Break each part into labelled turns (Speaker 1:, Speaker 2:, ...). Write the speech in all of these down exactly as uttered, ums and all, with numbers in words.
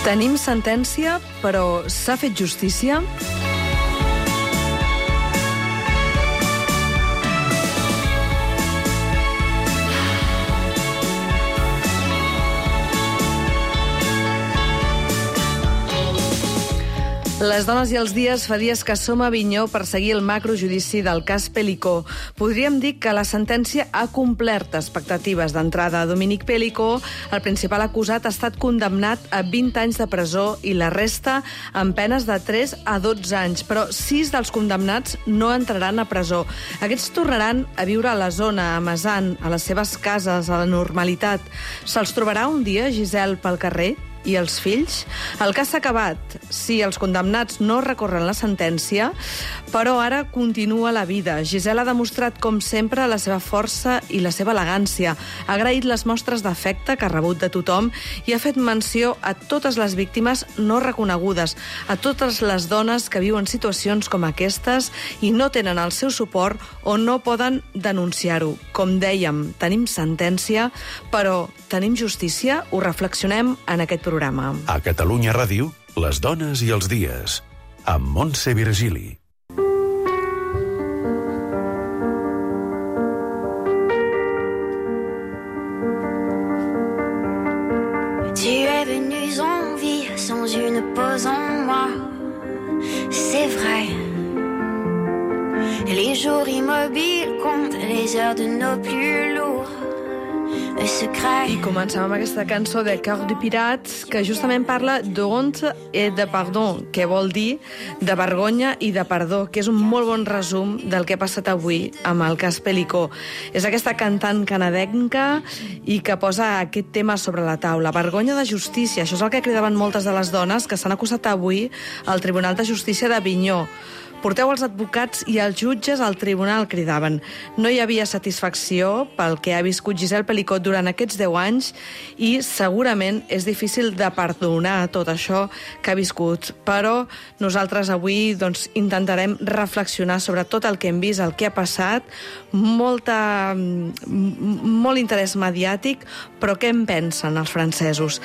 Speaker 1: Tenim sentència, però s'ha fet justícia? Les dones i els dies fa dies que som a Avinyó per seguir el macrojudici del cas Pelicó. Podríem dir que la sentència ha complert expectatives d'entrada. Dominic Pelicó, el principal acusat, ha estat condemnat a vint anys de presó i la resta amb penes de tres a dotze anys. Però sis dels condemnats no entraran a presó. Aquests tornaran a viure a la zona, a Mesan, a les seves cases, a la normalitat. Se'ls trobarà un dia, Giselle, pel carrer? I els fills? El cas s'ha acabat. Sí, els condemnats no recorren la sentència, però ara continua la vida. Giselle ha demostrat, com sempre, la seva força i la seva elegància. Ha agraït les mostres d'afecte que ha rebut de tothom i ha fet menció a totes les víctimes no reconegudes, a totes les dones que viuen situacions com aquestes i no tenen el seu suport o no poden denunciar-ho. Com dèiem, tenim sentència, però tenim justícia? Ho reflexionem en aquest programa.
Speaker 2: A Catalunya Ràdio, les dones i els dies, amb Montse Virgili.
Speaker 3: Tu es venu en vie sans une pause en moi, c'est vrai. Les jours immobiles comptent les heures de nos plus lourds.
Speaker 1: I comencem amb aquesta cançó de Cœur de Pirate, que justament parla d'honte et de pardon, que vol dir de vergonya i de perdó, que és un molt bon resum del que ha passat avui amb el cas Pelicó. És aquesta cantant canadenca i que posa aquest tema sobre la taula. Vergonya de justícia, això és el que cridaven moltes de les dones que s'han acusat avui al Tribunal de Justícia d'Avinyó. Porteu els advocats i els jutges al tribunal, cridaven. No hi havia satisfacció pel que ha viscut Giselle Pelicó durant aquests deu anys i segurament és difícil de perdonar tot això que ha viscut. Però nosaltres avui doncs, intentarem reflexionar sobre tot el que hem vist, el que ha passat, molta, molt interès mediàtic, però què en pensen els francesos?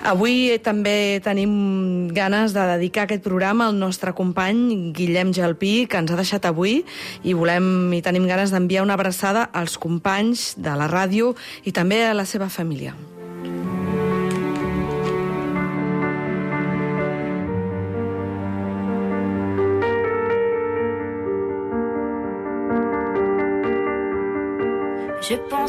Speaker 1: Avui també tenim ganes de dedicar aquest programa al nostre company Guillem Jalpí, que ens ha deixat avui, i volem i tenim ganes d'enviar una abraçada als companys de la ràdio i també a la seva família.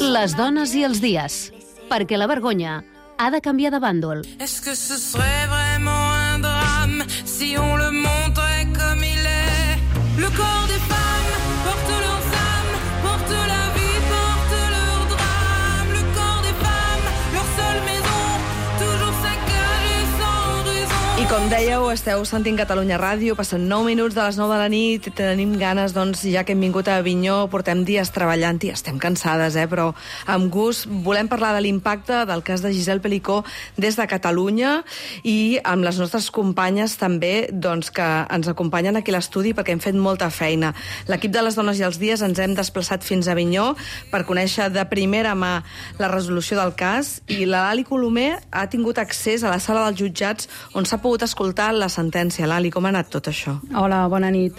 Speaker 4: Les dones i els dies, perquè la vergonya ha de canviar de bàndol.
Speaker 5: Est-ce que ce serait vraiment un drame si on le montrait comme il est? Le corps des femmes porte leurs âmes, porte la vie, porte leur drame. Le corps des femmes, leur seule maison, toujours saccagée sans raison.
Speaker 1: I com dèieu, esteu sentint Catalunya Ràdio, passen nou minuts de les nou de la nit i tenim ganes, doncs, ja que hem vingut a Avinyó, portem dies treballant i estem cansades, eh? Però amb gust volem parlar de l'impacte del cas de Giselle Pelicó des de Catalunya i amb les nostres companyes també, doncs, que ens acompanyen aquí a l'estudi perquè hem fet molta feina. L'equip de les dones i els dies ens hem desplaçat fins a Avinyó per conèixer de primera mà la resolució del cas i la Lali Colomer ha tingut accés a la sala dels jutjats on s'ha pogut escoltar la sentència. Lali, com ha anat tot això?
Speaker 6: Hola, bona nit.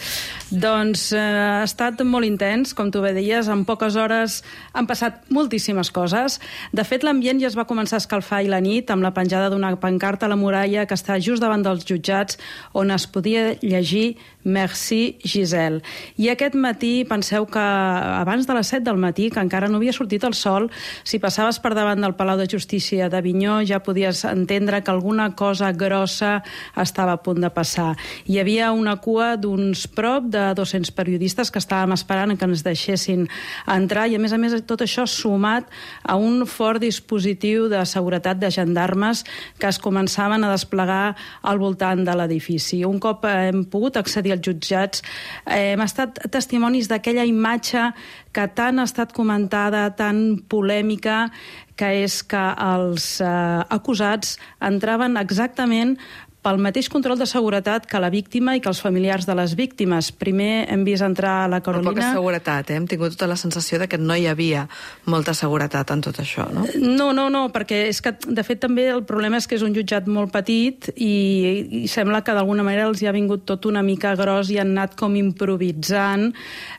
Speaker 6: Doncs eh, ha estat molt intens, com tu bé deies, en poques hores han passat moltíssimes coses. De fet, l'ambient ja es va començar a escalfar ahir la nit amb la penjada d'una pancarta a la muralla que està just davant dels jutjats on es podia llegir Merci, Giselle. I aquest matí, penseu que abans de les set del matí, que encara no havia sortit el sol, si passaves per davant del Palau de Justícia d'Avinyó ja podies entendre que alguna cosa grossa estava a punt de passar. Hi havia una cua d'uns prop de dos-cents periodistes que estàvem esperant que ens deixessin entrar i, a més a més, tot això sumat a un fort dispositiu de seguretat de gendarmes que es començaven a desplegar al voltant de l'edifici. Un cop hem pogut accedir als jutjats, eh, hem estat testimonis d'aquella imatge que tant ha estat comentada, tan polèmica, que és que els eh, acusats entraven exactament pel mateix control de seguretat que la víctima i que els familiars de les víctimes. Primer hem vist entrar la Carolina...
Speaker 1: Però poca seguretat, eh? Hem tingut tota la sensació de que no hi havia molta seguretat en tot això, no?
Speaker 6: No, no, no, perquè és que, de fet, també el problema és que és un jutjat molt petit i, i sembla que d'alguna manera els hi ha vingut tot una mica gros i han anat com improvisant,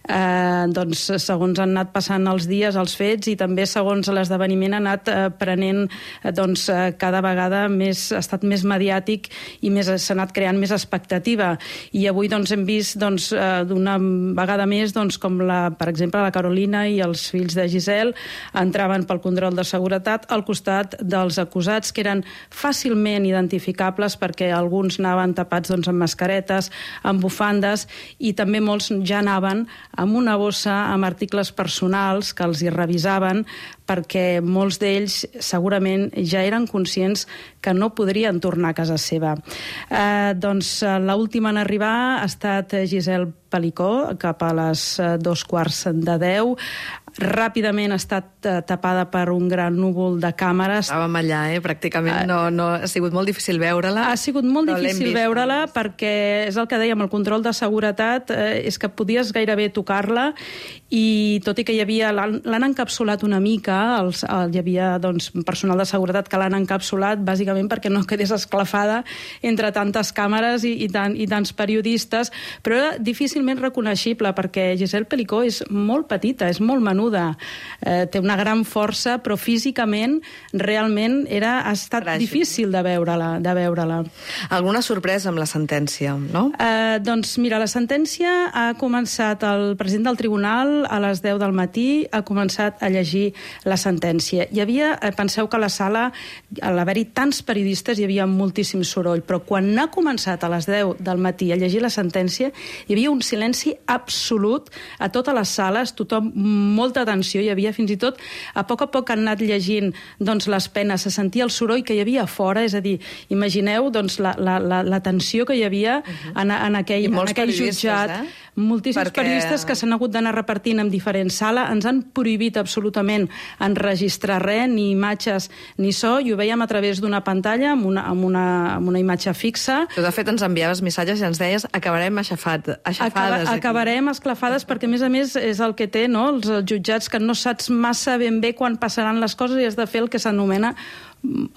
Speaker 6: eh, doncs, segons han anat passant els dies, els fets, i també segons l'esdeveniment ha anat eh, prenent eh, doncs, eh, cada vegada més, ha estat més mediàtic i més, s'ha anat creant més expectativa. I avui doncs, hem vist doncs, eh, d'una vegada més doncs, com, la, per exemple, la Carolina i els fills de Giselle entraven pel control de seguretat al costat dels acusats, que eren fàcilment identificables perquè alguns anaven tapats doncs, amb mascaretes, amb bufandes, i també molts ja anaven amb una bossa amb articles personals que els hi revisaven, perquè molts d'ells segurament ja eren conscients que no podrien tornar a casa seva. Eh, doncs l'última en arribar ha estat Giselle Pelicó, cap a les dos quarts de deu. Ràpidament ha estat tapada per un gran núvol de càmeres.
Speaker 1: Estàvem allà, eh? Pràcticament no, no, ha sigut molt difícil veure-la.
Speaker 6: Ha sigut molt difícil veure-la perquè és el que dèiem, el control de seguretat eh, és que podies gairebé tocar-la, i tot i que hi havia, l'han encapsulat una mica, els, el, hi havia doncs, personal de seguretat que l'han encapsulat bàsicament perquè no quedés esclafada entre tantes càmeres i, i, tant, i tants periodistes, però era difícilment reconeixible perquè Giselle Pelicó és molt petita, és molt menuda, eh, té una gran força, però físicament realment era, ha estat Fràgil. difícil de veure-la. De veure-la.
Speaker 1: Alguna sorpresa amb la sentència, no?
Speaker 6: Eh, doncs mira, la sentència ha començat, el president del tribunal a les deu del matí ha començat a llegir la sentència. Hi havia, eh, penseu que a la sala, a l'haver-hi tants periodistes, hi havia moltíssim soroll, però quan ha començat a les deu del matí a llegir la sentència, hi havia un silenci absolut a totes les sales, tothom, molta atenció, hi havia fins i tot, a poc a poc han anat llegint doncs, les penes, se sentia el soroll que hi havia a fora, és a dir, imagineu doncs, la, la, la, la tensió que hi havia uh-huh. en, en aquell, en aquell jutjat. Eh? Moltíssims Perquè... periodistes que s'han hagut d'anar repartint en diferents sales, ens han prohibit absolutament enregistrar res, ni imatges ni so, i ho veiem a través d'una pantalla amb una, amb una, amb una imatge fixa.
Speaker 1: Tu, de fet, ens enviaves missatges i ens deies acabarem aixafat, aixafades.
Speaker 6: Acaba, acabarem esclafades perquè, a més a més, és el que té, no? Els jutjats, que no saps massa ben bé quan passaran les coses i has de fer el que s'anomena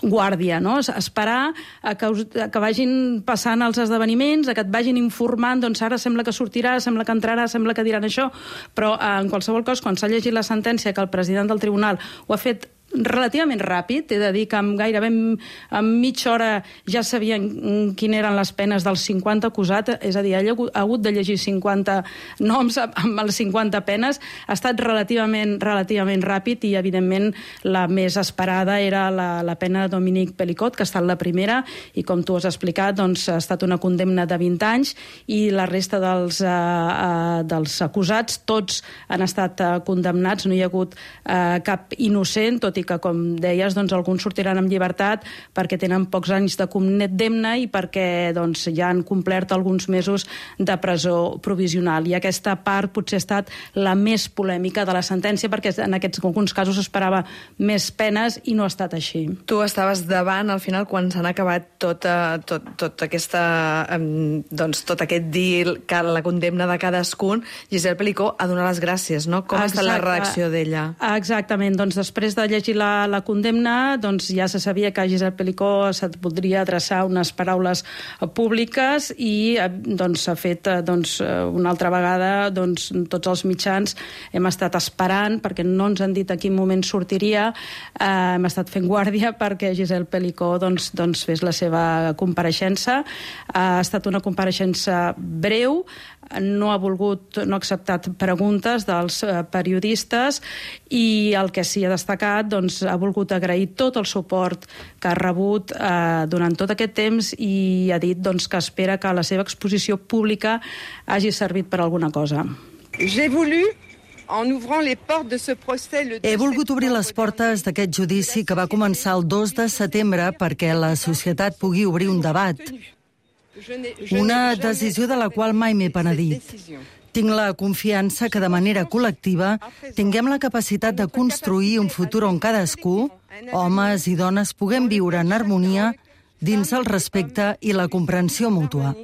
Speaker 6: guàrdia, no? Esperar a que, us, a que vagin passant els esdeveniments, a que et vagin informant, doncs ara sembla que sortirà, sembla que entrarà, sembla que diran això, però en qualsevol cas, quan s'ha llegit la sentència, que el president del tribunal ho ha fet relativament ràpid, he de dir que amb gairebé en mitja hora ja sabien quines eren les penes dels cinquanta acusats, és a dir, ell ha hagut de llegir cinquanta noms amb les cinquanta penes, ha estat relativament, relativament ràpid, i evidentment la més esperada era la, la pena de Dominique Pelicot, que ha estat la primera, i com tu has explicat, doncs, ha estat una condemna de vint anys, i la resta dels, uh, uh, dels acusats, tots han estat uh, condemnats, no hi ha hagut uh, cap innocent, tot i que, com deies, doncs, alguns sortiran amb llibertat perquè tenen pocs anys de condemna i perquè doncs, ja han complert alguns mesos de presó provisional. I aquesta part potser ha estat la més polèmica de la sentència, perquè en aquests alguns casos s'esperava més penes i no ha estat així.
Speaker 1: Tu estaves davant, al final, quan s'han acabat tota, tot, tot, aquesta, doncs, tot aquest deal, que la condemna de cadascun, Giselle Pelicó ha donat les gràcies, no? Com Exacte. ha estat la reacció d'ella?
Speaker 6: Exactament. Doncs després de llegir La, la condemna, doncs ja se sabia que a Giselle Pelicó se't podria adreçar unes paraules públiques, i doncs s'ha fet doncs, una altra vegada, doncs tots els mitjans hem estat esperant, perquè no ens han dit a quin moment sortiria, eh, hem estat fent guàrdia perquè Giselle Pelicó doncs, doncs fes la seva compareixença. Ha estat una compareixença breu, no ha volgut, no ha acceptat preguntes dels periodistes, i el que sí ha destacat, doncs, ha volgut agrair tot el suport que ha rebut eh, durant tot aquest temps, i ha dit doncs, que espera que la seva exposició pública hagi servit per alguna cosa.
Speaker 7: J'ai voulu En ouvrant les portes de ce procès, le
Speaker 8: He volgut obrir les portes d'aquest judici que va començar el dos de setembre perquè la societat pugui obrir un debat. Una decisió de la qual mai m'he penedit. Tinc la confiança que de manera col·lectiva tinguem la capacitat de construir un futur on cadascú, homes i dones, puguem viure en harmonia dins el respecte i la comprensió mútua.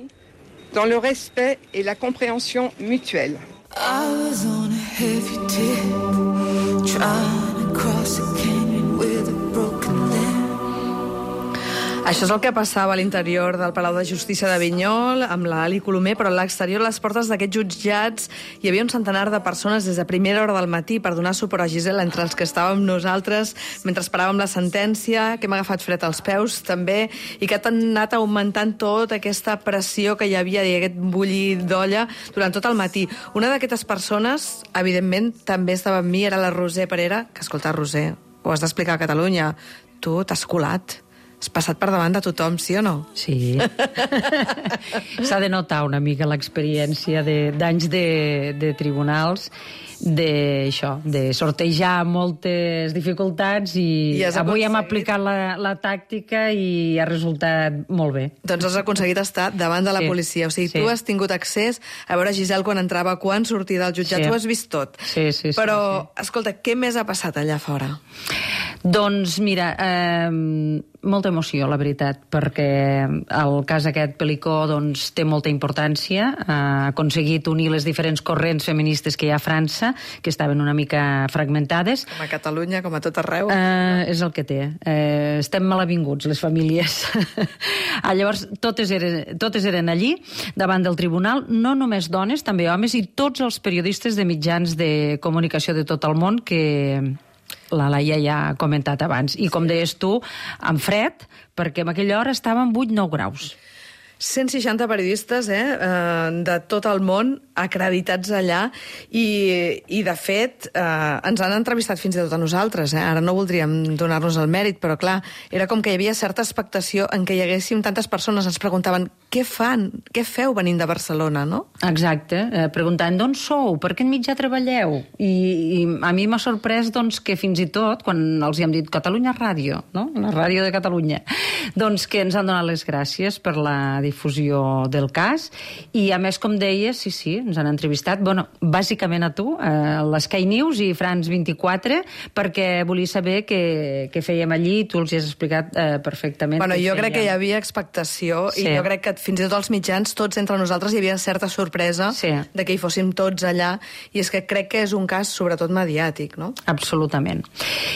Speaker 7: Dans le respect et la compréhension mutuelle.
Speaker 5: I was on a heavy tip, trying to cross a canyon with a broken limb.
Speaker 1: Això és el que passava a l'interior del Palau de Justícia d'Avinyol, amb l'Ali Colomer, però a l'exterior, a les portes d'aquests jutjats, hi havia un centenar de persones des de primera hora del matí per donar suport a Gisela, entre els que estàvem nosaltres, mentre esperàvem la sentència, que hem agafat fred als peus, també, i que ha anat augmentant tota aquesta pressió que hi havia, i aquest bullir d'olla, durant tot el matí. Una d'aquestes persones, evidentment, també estava amb mi, era la Roser Parera, que, escolta, Roser, ho has d'explicar a Catalunya, tu t'has colat. Has passat per davant de tothom, sí o no?
Speaker 9: Sí. S'ha de notar una mica l'experiència d'anys de, de tribunals, de, això, de sortejar moltes dificultats i, I avui hem aplicat la, la tàctica i ha resultat molt bé.
Speaker 1: Doncs has aconseguit estar davant de la sí, policia. O sigui, sí. Tu has tingut accés a veure Giselle quan entrava, quan sortia del jutjat, sí. Tu has vist tot.
Speaker 9: Sí, sí, sí.
Speaker 1: Però,
Speaker 9: sí.
Speaker 1: escolta, què més ha passat allà fora?
Speaker 9: Doncs mira, eh, molta emoció, la veritat, perquè el cas aquest Pelicó doncs, té molta importància. Ha aconseguit unir les diferents corrents feministes que hi ha a França, que estaven una mica fragmentades.
Speaker 1: Com a Catalunya, com a tot arreu.
Speaker 9: Eh, és el que té. Eh, estem malavinguts, les famílies. ah, llavors, totes eren, totes eren allí, davant del tribunal, no només dones, també homes, i tots els periodistes de mitjans de comunicació de tot el món que la Laia ja ha comentat abans. I com deies tu, amb fred, perquè en aquella hora estaven vuit nou graus.
Speaker 1: cent seixanta periodistes eh, de tot el món acreditats allà i, i de fet, eh, ens han entrevistat fins i tot a nosaltres. Eh? Ara no voldríem donar-nos el mèrit, però clar, era com que hi havia certa expectació en què hi haguéssim tantes persones. Ens preguntaven, què fan? Què feu venint de Barcelona, no?
Speaker 9: Exacte, eh, preguntant d'on sou, per quin mitjà treballeu? I, i a mi m'ha sorprès doncs, que fins i tot, quan els hi hem dit Catalunya Ràdio, no? La ràdio de Catalunya, doncs que ens han donat les gràcies per la difusió del cas, i a més, com deies, sí, sí, ens han entrevistat, bueno, bàsicament a tu, a l'Sky News i France vint-i-quatre, perquè volia saber què, què fèiem allí, i tu els has explicat eh, perfectament.
Speaker 1: Bueno, jo crec que hi havia expectació, sí. I jo crec que fins i tot els mitjans, tots entre nosaltres, hi havia certa sorpresa sí. De que hi fóssim tots allà, i és que crec que és un cas sobretot mediàtic, no?
Speaker 9: Absolutament.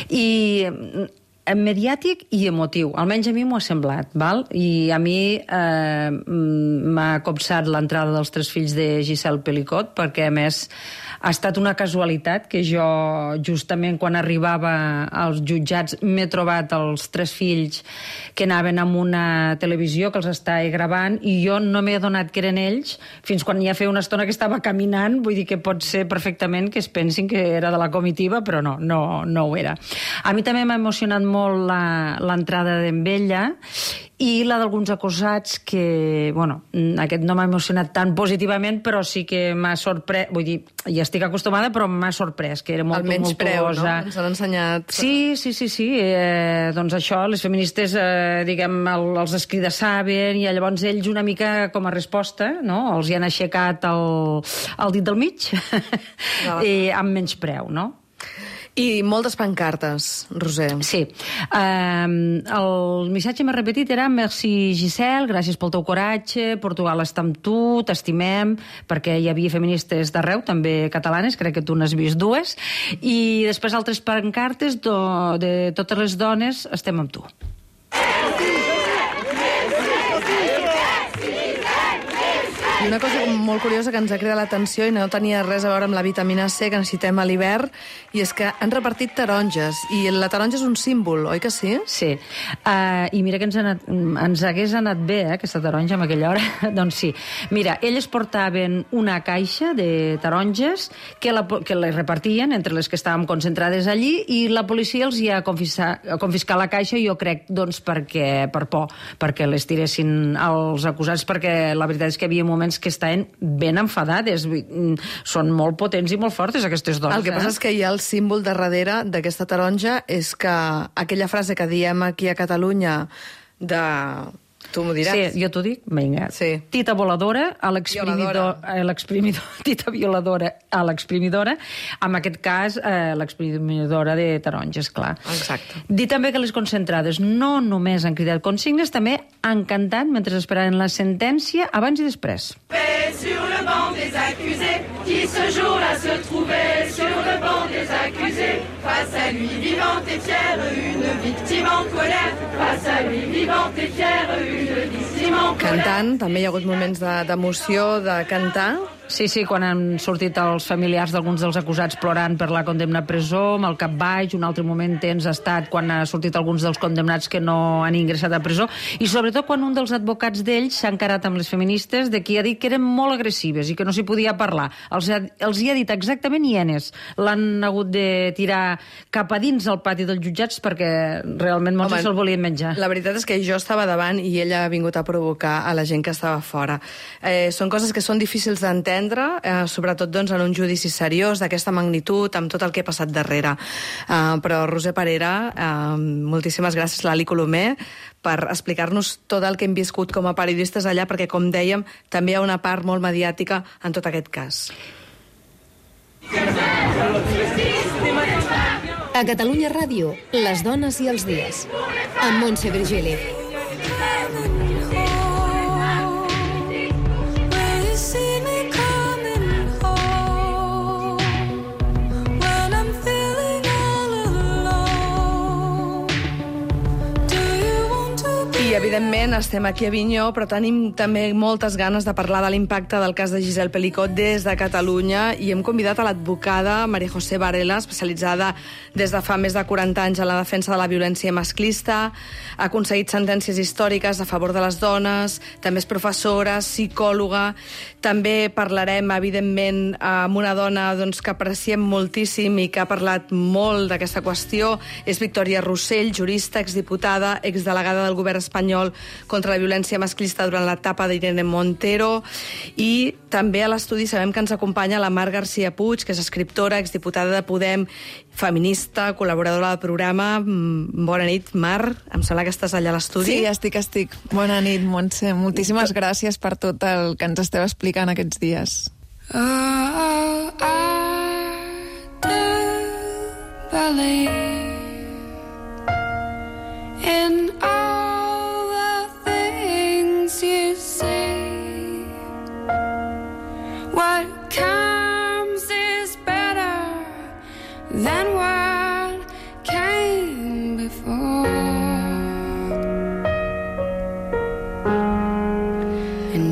Speaker 9: I mediàtic i emotiu, almenys a mi m'ho ha semblat, val? I a mi eh, m'ha copsat l'entrada dels tres fills de Giselle Pelicot, perquè a més ha estat una casualitat que jo justament quan arribava als jutjats m'he trobat els tres fills que anaven amb una televisió que els estava gravant i jo no m'he adonat que eren ells fins quan ja feia una estona que estava caminant, vull dir que pot ser perfectament que es pensin que era de la comitiva, però no, no, no ho era. A mi també m'ha emocionat molt l'entrada d'en Bella i la d'alguns acusats que, bueno, aquest no m'ha emocionat tan positivament, però sí que m'ha sorprès, vull dir, ja estic acostumada, però m'ha sorprès, que era molt tumultuosa.
Speaker 1: El menyspreu, no? Ens han ensenyat...
Speaker 9: Sí, sí, sí, sí. Eh, doncs això, les feministes, eh, diguem, el, els escridasaven i llavors ells una mica com a resposta, no? Els hi han aixecat el, el dit del mig no. I amb menyspreu, no?
Speaker 1: I moltes pancartes, Roser.
Speaker 9: Sí. Um, el missatge més repetit era merci Giselle, gràcies pel teu coratge, Portugal està amb tu, t'estimem, perquè hi havia feministes d'arreu, també catalanes, crec que tu n'has vist dues, i després altres pancartes do, de totes les dones, estem amb tu.
Speaker 1: I una cosa molt curiosa que ens ha cridat l'atenció i no tenia res a veure amb la vitamina C que necessitem a l'hivern, i és que han repartit taronges, i la taronja és un símbol, oi que sí?
Speaker 9: Sí, uh, i mira que ens, anat, ens hagués anat bé, eh, aquesta taronja en aquella hora. Doncs sí, mira, elles portaven una caixa de taronges que, la, que les repartien entre les que estàvem concentrades allí, i la policia els hi ha confiscat, confiscat la caixa, jo crec, doncs, perquè, per por, perquè les tiressin als acusats, perquè la veritat és que hi havia moments que estaven ben enfadades. Són molt potents i molt fortes, aquestes dones.
Speaker 1: El que passa
Speaker 9: eh?
Speaker 1: és que hi ha el símbol de darrere d'aquesta taronja, és que aquella frase que diem aquí a Catalunya de Tu m'ho diràs.
Speaker 9: Sí, jo t'ho dic? Vinga.
Speaker 1: Sí.
Speaker 9: Tita voladora a l'exprimidor... a l'exprimidor... Tita violadora a l'exprimidora, en aquest cas eh, l'exprimidora de taronges, clar.
Speaker 1: Exacte.
Speaker 9: Dir també que les concentrades no només han cridat consignes, també han cantat mentre esperaven la sentència abans i després.
Speaker 5: Sur le banc des accusés, qui ce jour-là se trouvait sur le banc des accusés, face à lui vivante et fière, une victime en colère, face à lui vivante et fière, une victime en colère.
Speaker 1: Cantant, també hi ha hagut moments de- d'emoció, de, de cantar.
Speaker 9: Sí, sí, quan han sortit els familiars d'alguns dels acusats plorant per la condemna a presó, amb el cap baix, un altre moment tens ha estat quan ha sortit alguns dels condemnats que no han ingressat a presó, i sobretot quan un dels advocats d'ells s'ha encarat amb les feministes de qui ha dit que eren molt agressives i que no s'hi podia parlar. Els, ha, els hi ha dit exactament hienes. L'han hagut de tirar cap a dins al pati dels jutjats perquè realment molts se'l volien menjar.
Speaker 1: La veritat és que jo estava davant i ella ha vingut a provocar a la gent que estava fora. Eh, són coses que són difícils d'entendre, eh, sobretot doncs, en un judici seriós d'aquesta magnitud, amb tot el que ha passat darrere. Eh, però Roser Parera, eh, moltíssimes gràcies, Lali Colomer, per explicar-nos tot el que hem viscut com a periodistes allà, perquè, com dèiem, també hi ha una part molt mediàtica en tot aquest cas.
Speaker 4: A Catalunya Ràdio, les dones i els dies. Amb Montse Virgili.
Speaker 1: I, evidentment, estem aquí a Avinyó, però tenim també moltes ganes de parlar de l'impacte del cas de Giselle Pelicot des de Catalunya, i hem convidat a l'advocada María José Varela, especialitzada des de fa més de quaranta anys en la defensa de la violència masclista, ha aconseguit sentències històriques a favor de les dones, també és professora, psicòloga. També parlarem, evidentment, amb una dona doncs, que apreciem moltíssim i que ha parlat molt d'aquesta qüestió. És Victòria Rossell, jurista, exdiputada, exdelegada del govern espanyol contra la violència masclista durant l'etapa d'Irene Montero, i també a l'estudi sabem que ens acompanya la Mar García Puig, que és escriptora, exdiputada de Podem, feminista, col·laboradora del programa. Bona nit, Mar. Em sembla que estàs allà a l'estudi.
Speaker 10: Sí, estic, estic. Bona nit, Montse. Moltíssimes gràcies per tot el que ens esteu explicant aquests dies.
Speaker 5: Oh, I do believe in all the things you say. What comes is better than what came before.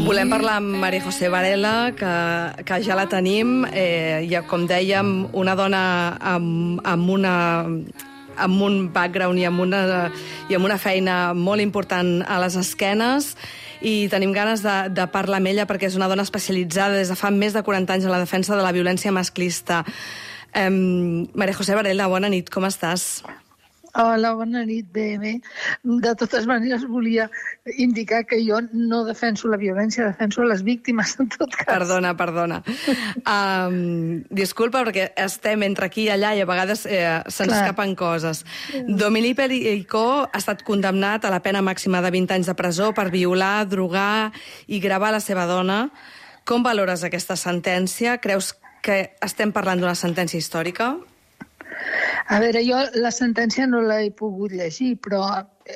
Speaker 1: Volem parlar amb María José Varela, que, que ja la tenim. Eh, ja, com dèiem, una dona amb, amb una amb un background i amb una, i amb una feina molt important a les esquenes, i tenim ganes de, de parlar amb ella perquè és una dona especialitzada des de fa més de quaranta anys en la defensa de la violència masclista. Eh, María José Varela, bona nit, com estàs?
Speaker 11: Hola, bona nit, bé, bé. De totes maneres, volia indicar que jo no defenso la violència, defenso les víctimes, en tot cas.
Speaker 1: Perdona, perdona. Um, disculpa, perquè estem entre aquí i allà i a vegades eh, se'ns escapen coses. Dominique Pelicot ha estat condemnat a la pena màxima de vint anys de presó per violar, drogar i gravar la seva dona. Com valores aquesta sentència? Creus que estem parlant d'una sentència històrica?
Speaker 11: A veure, jo la sentència no l'he pogut llegir, però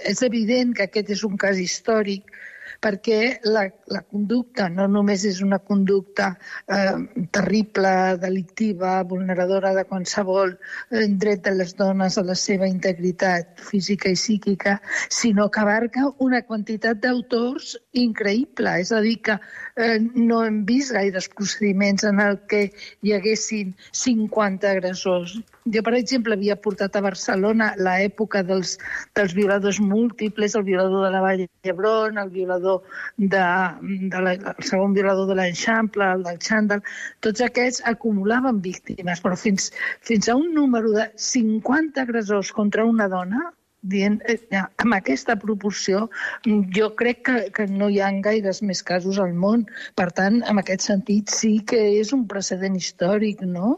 Speaker 11: és evident que aquest és un cas històric, perquè la, la conducta no només és una conducta eh, terrible, delictiva, vulneradora de qualsevol eh, dret de les dones a la seva integritat física i psíquica, sinó que abarca una quantitat d'autors increïble. És a dir, que eh, no hem vist gaires procediments en el que hi haguessin cinquanta agressors. Jo, per exemple, havia portat a Barcelona l'època dels, dels violadors múltiples, el violador de la Vall d'Hebron, el violador de, de la, el segon violador de l'Eixample, el del Xandall. Tots aquests acumulaven víctimes, però fins, fins a un número de cinquanta agressors contra una dona, dient, eh, amb aquesta proporció, jo crec que, que no hi ha gaires més casos al món. Per tant, en aquest sentit, sí que és un precedent històric, no?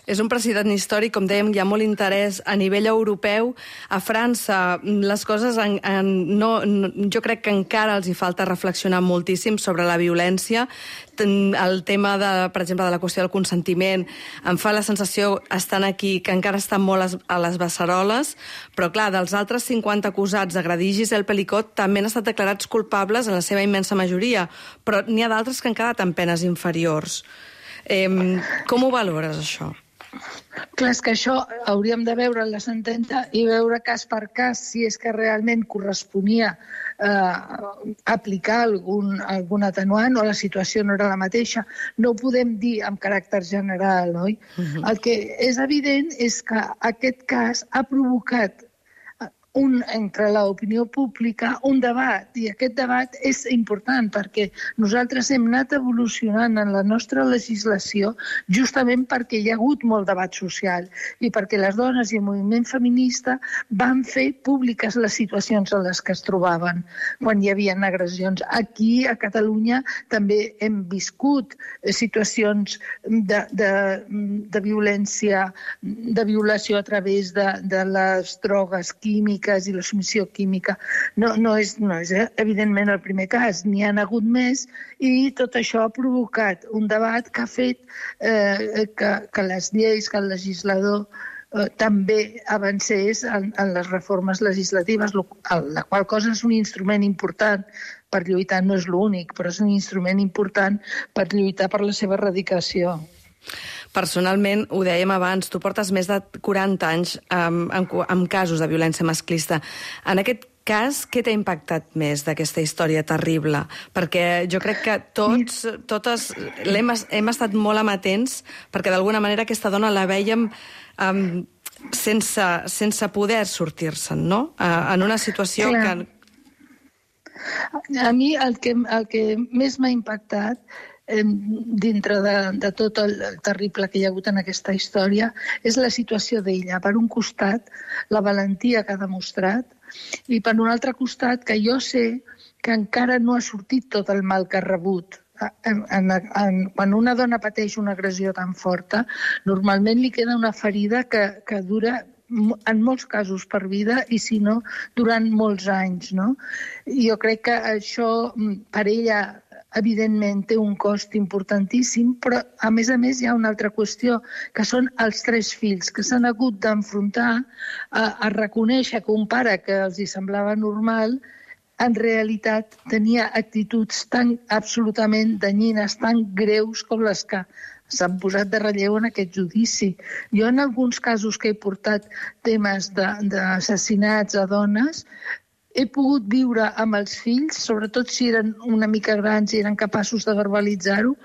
Speaker 1: És un precedent històric, com dèiem, hi ha molt interès a nivell europeu. A França les coses, en, en, no, no, jo crec que encara els hi falta reflexionar moltíssim sobre la violència. El tema, de, per exemple, de la qüestió del consentiment, em fa la sensació, estant aquí, que encara estan molt a les beceroles, però clar, dels altres cinquanta acusats d'agredir Gisèle Pelicot també han estat declarats culpables en la seva immensa majoria, però n'hi ha d'altres que han quedat en penes inferiors. Eh, com ho valores, això?
Speaker 11: Clar, és que això hauríem de veure la sentència i veure cas per cas si és que realment corresponia eh, aplicar algun, algun atenuant o la situació no era la mateixa. No ho podem dir amb caràcter general, oi? Uh-huh. El que és evident és que aquest cas ha provocat un, entre l'opinió pública un debat, i aquest debat és important perquè nosaltres hem anat evolucionant en la nostra legislació justament perquè hi ha hagut molt debat social i perquè les dones i el moviment feminista van fer públiques les situacions en les que es trobaven quan hi havia agressions. Aquí, a Catalunya, també hem viscut situacions de, de, de violència, de violació a través de, de les drogues químiques i la submissió química. No, no, és, no és evidentment el primer cas, n'hi ha hagut més i tot això ha provocat un debat que ha fet eh, que, que les lleis, que el legislador eh, també avancés en, en les reformes legislatives, la qual cosa és un instrument important per lluitar, no és l'únic, però és un instrument important per lluitar per la seva erradicació.
Speaker 1: Personalment, ho dèiem abans, tu portes més de quaranta anys amb, amb, amb casos de violència masclista. En aquest cas, què t'ha impactat més d'aquesta història terrible? Perquè jo crec que tots, totes hem, hem estat molt amatents perquè d'alguna manera aquesta dona la vèiem um, sense, sense poder sortir-se'n, no? Uh, en una situació Clar. que...
Speaker 11: A mi el que, el que més m'ha impactat dintre de, de tot el terrible que hi ha hagut en aquesta història és la situació d'ella. Per un costat, la valentia que ha demostrat i per un altre costat que jo sé que encara no ha sortit tot el mal que ha rebut. En, en, en, quan una dona pateix una agressió tan forta, normalment li queda una ferida que, que dura en molts casos per vida i si no, durant molts anys, no? Jo crec que això per ella evidentment té un cost importantíssim, però a més a més hi ha una altra qüestió, que són els tres fills que s'han hagut d'enfrontar a, a reconèixer que un pare que els hi semblava normal en realitat tenia actituds tan absolutament danyines, tan greus com les que s'han posat de relleu en aquest judici. Jo en alguns casos que he portat temes d'assassinats a dones, he pogut viure amb els fills, sobretot si eren una mica grans i eren capaços de verbalitzar-ho,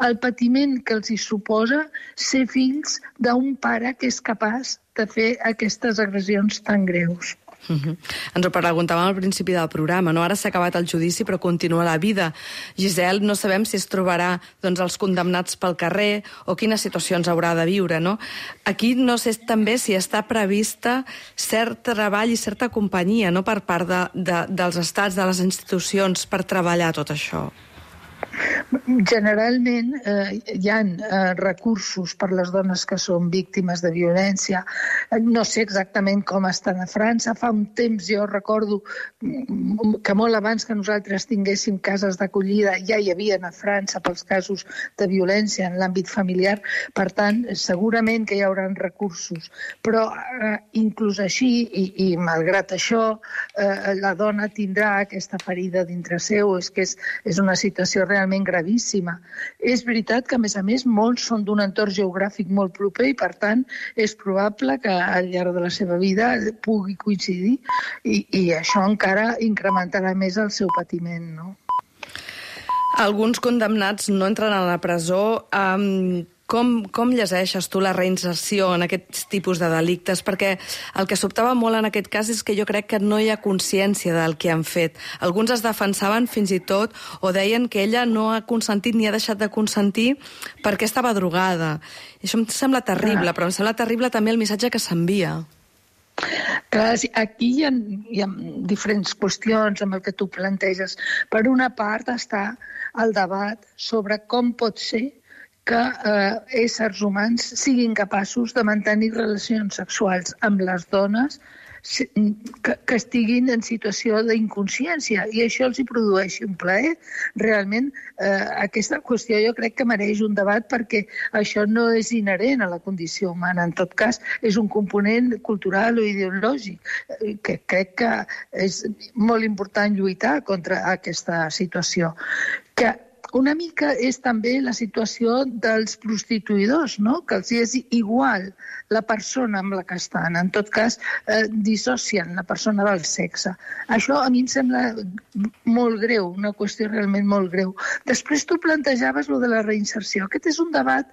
Speaker 11: el patiment que els hi suposa ser fills d'un pare que és capaç de fer aquestes agressions tan greus.
Speaker 1: Uh-huh. Ens ho preguntàvem al principi del programa, no? Ara s'ha acabat el judici però continua la vida. Gisèle, no sabem si es trobarà doncs, els condemnats pel carrer o quines situacions haurà de viure, no? Aquí no sé també si està prevista cert treball i certa companyia, no?, per part de, de, dels estats, de les institucions, per treballar tot això.
Speaker 11: Generalment eh, hi ha eh, recursos per les dones que són víctimes de violència. No sé exactament com estan a França. Fa un temps jo recordo que molt abans que nosaltres tinguéssim cases d'acollida ja hi havia a França pels casos de violència en l'àmbit familiar. Per tant, segurament que hi haurà recursos. Però eh, inclús així, i, i malgrat això, eh, la dona tindrà aquesta ferida dintre seu. És que és, és una situació realment gravíssima. És veritat que, a més a més, molts són d'un entorn geogràfic molt proper i, per tant, és probable que al llarg de la seva vida pugui coincidir i, i això encara incrementarà més el seu patiment, no?
Speaker 1: Alguns condemnats no entren a la presó. Um, com, com llegeixes tu la reinserció en aquests tipus de delictes? Perquè el que sobtava molt en aquest cas és que jo crec que no hi ha consciència del que han fet. Alguns es defensaven fins i tot o deien que ella no ha consentit ni ha deixat de consentir perquè estava drogada. I això em sembla terrible, però em sembla terrible també el missatge que s'envia.
Speaker 11: Clar, aquí hi ha, hi ha diferents qüestions amb el que tu planteges. Per una part està el debat sobre com pot ser que eh, éssers humans siguin capaços de mantenir relacions sexuals amb les dones que, que estiguin en situació d'inconsciència i això els hi produeixi un plaer. Realment, eh, aquesta qüestió jo crec que mereix un debat perquè això no és inherent a la condició humana. En tot cas, és un component cultural o ideològic que crec que és molt important lluitar contra aquesta situació. Que una mica és també la situació dels prostituïdors, no? Que els és igual la persona amb la que estan. En tot cas, eh, dissocien la persona del sexe. Això a mi em sembla molt greu, una qüestió realment molt greu. Després tu plantejaves lo de la reinserció. Aquest és un debat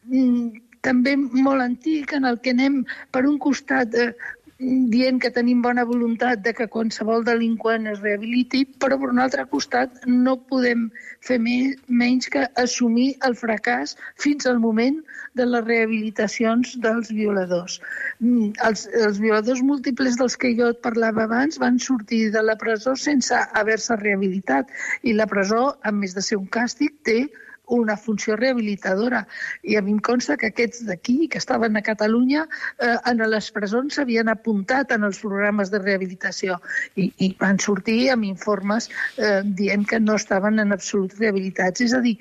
Speaker 11: mm, també molt antic en el que anem per un costat eh, dient que tenim bona voluntat de que qualsevol delinqüent es rehabiliti, però per un altre costat no podem fer menys que assumir el fracàs fins al moment de les rehabilitacions dels violadors. Els, els violadors múltiples dels que jo et parlava abans van sortir de la presó sense haver-se rehabilitat i la presó, a més de ser un càstig, té una funció rehabilitadora. I a mi em consta que aquests d'aquí, que estaven a Catalunya, eh, en les presons s'havien apuntat en els programes de rehabilitació i, i van sortir amb informes eh, dient que no estaven en absolut rehabilitats. És a dir,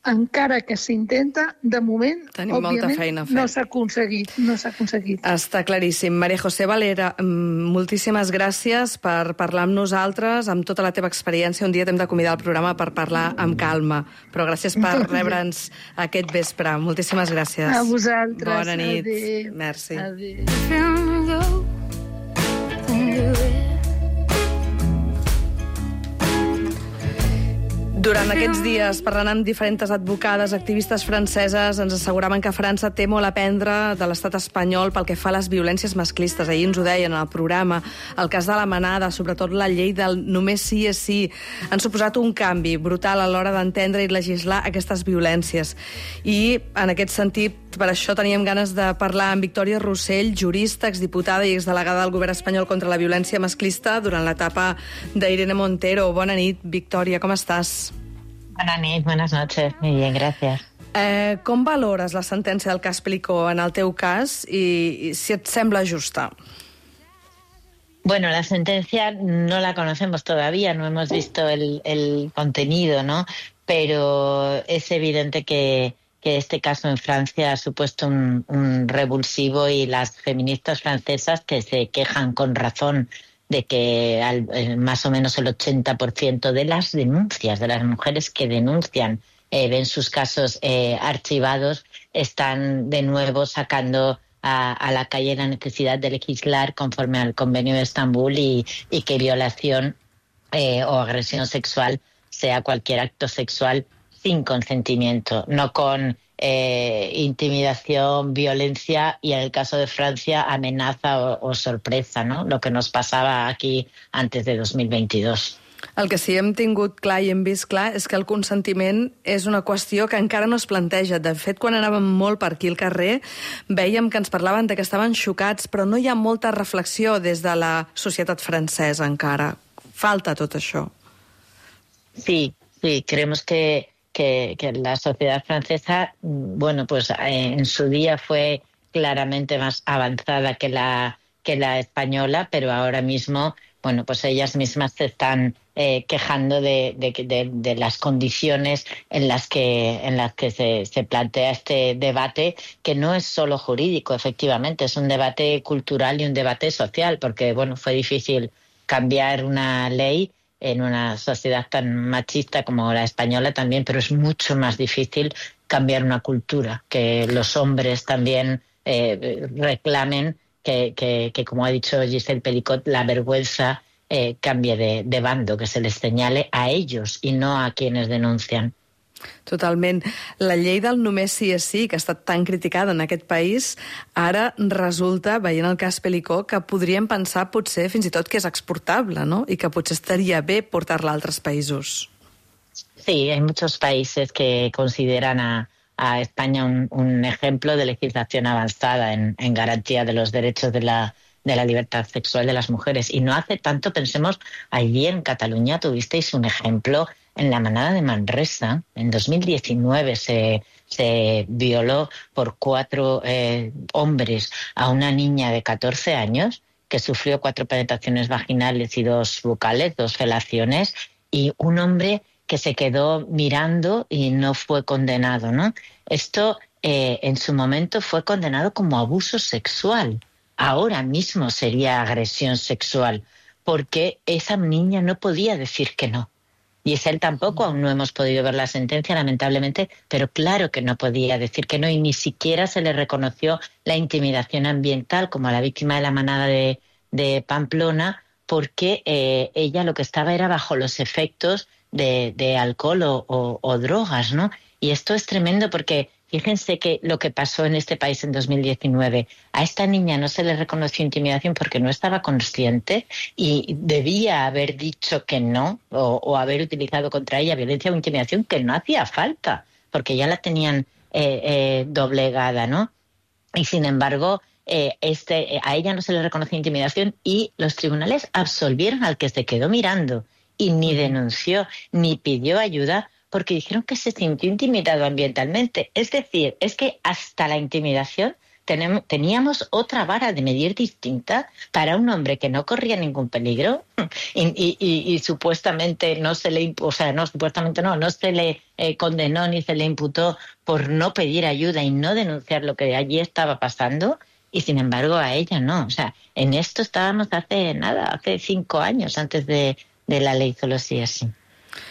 Speaker 11: encara que s'intenta, de moment,
Speaker 1: Tenim
Speaker 11: òbviament,
Speaker 1: feina a fer.
Speaker 11: no s'ha aconseguit. No s'ha aconseguit.
Speaker 1: Està claríssim. Maria José Valera, moltíssimes gràcies per parlar amb nosaltres, amb tota la teva experiència. Un dia t'hem de convidar al programa per parlar amb calma. Però gràcies per rebre'ns aquest vespre. Moltíssimes gràcies.
Speaker 11: A vosaltres.
Speaker 1: Bona nit.
Speaker 11: Adéu.
Speaker 1: Merci.
Speaker 11: Adéu.
Speaker 1: Durant aquests dies, parlant amb diferents advocades, activistes franceses, ens asseguraven que França té molt a aprendre de l'estat espanyol pel que fa a les violències masclistes. Ahir ens ho deien al programa. El cas de la manada, sobretot la llei del només sí és sí, han suposat un canvi brutal a l'hora d'entendre i legislar aquestes violències. I, en aquest sentit, per això teníem ganes de parlar amb Victòria Rossell, jurista, exdiputada i exdelegada del govern espanyol contra la violència masclista durant l'etapa d'Irene Montero. Bona nit, Victòria, com estàs?
Speaker 12: Bona nit, buenas noches. Muy bien, gracias.
Speaker 1: Eh, com valores la sentència del cas Pelicó en el teu cas i, i si et sembla justa?
Speaker 12: Bueno, la sentencia no la conocemos todavía, no hemos visto el, el contenido, ¿no? Pero es evidente que, que este caso en Francia ha supuesto un, un revulsivo y las feministas francesas que se quejan con razón de que al, eh, más o menos el ochenta por ciento de las denuncias, de las mujeres que denuncian, eh, ven sus casos eh, archivados, están de nuevo sacando a, a la calle la necesidad de legislar conforme al Convenio de Estambul y, y que violación eh, o agresión sexual sea cualquier acto sexual sin consentimiento, no con eh, intimidación, violencia y en el caso de Francia amenaza o, o sorpresa, ¿no? Lo que nos pasaba aquí antes de dos mil veintidós.
Speaker 1: El que sí hem tingut clar i hem vist clar és que el consentiment és una qüestió que encara no es planteja. De fet, quan anàvem molt per aquí al carrer, veiem que ens parlaven de que estaven xocats, però no hi ha molta reflexió des de la societat francesa encara. Falta tot això.
Speaker 12: Sí, sí, creemos que Que, que la sociedad francesa, bueno, pues eh, en su día fue claramente más avanzada que la, que la española, pero ahora mismo, bueno, pues ellas mismas se están eh, quejando de, de, de, de las condiciones en las que, en las que se, se plantea este debate, que no es solo jurídico, efectivamente, es un debate cultural y un debate social, porque, bueno, fue difícil cambiar una ley en una sociedad tan machista como la española también, pero es mucho más difícil cambiar una cultura, que los hombres también eh, reclamen que, que, que, como ha dicho Giselle Pelicot, la vergüenza eh, cambie de, de bando, que se les señale a ellos y no a quienes denuncian.
Speaker 1: Totalment. La llei del només sí és sí, que ha estat tan criticada en aquest país, ara resulta, veient el cas Pelicó, que podríem pensar potser fins i tot que és exportable, ¿no? I que potser estaria bé portar-la a altres països.
Speaker 12: Sí, hay muchos países que consideran a, a España un, un ejemplo de legislación avanzada en, en garantía de los derechos de la, de la libertad sexual de las mujeres. Y no hace tanto, pensemos, allí en Cataluña tuvisteis un ejemplo en la manada de Manresa, en dos mil diecinueve, se, se violó por cuatro eh, hombres a una niña de catorce años que sufrió cuatro penetraciones vaginales y dos bucales, dos felaciones, y un hombre que se quedó mirando y no fue condenado, ¿no? Esto eh, en su momento fue condenado como abuso sexual. Ahora mismo sería agresión sexual, porque esa niña no podía decir que no. Y es él tampoco, aún no hemos podido ver la sentencia, lamentablemente, pero claro que no podía decir que no, y ni siquiera se le reconoció la intimidación ambiental como a la víctima de la manada de, de Pamplona, porque eh, ella lo que estaba era bajo los efectos de, de alcohol o, o, o drogas, ¿no? Y esto es tremendo porque fíjense que lo que pasó en este país en dos mil diecinueve, a esta niña no se le reconoció intimidación porque no estaba consciente y debía haber dicho que no o, o haber utilizado contra ella violencia o intimidación, que no hacía falta porque ya la tenían eh, eh, doblegada, ¿no? Y sin embargo, eh, este, eh, a ella no se le reconoció intimidación y los tribunales absolvieron al que se quedó mirando y ni denunció ni pidió ayuda, porque dijeron que se sintió intimidado ambientalmente. Es decir, es que hasta la intimidación tenemos, teníamos otra vara de medir distinta para un hombre que no corría ningún peligro y, y, y, y supuestamente no se le, o sea, no supuestamente no, no se le eh, condenó ni se le imputó por no pedir ayuda y no denunciar lo que allí estaba pasando. Y sin embargo a ella no. O sea, en esto estábamos hace nada, hace cinco años antes de, de la ley solo sí así.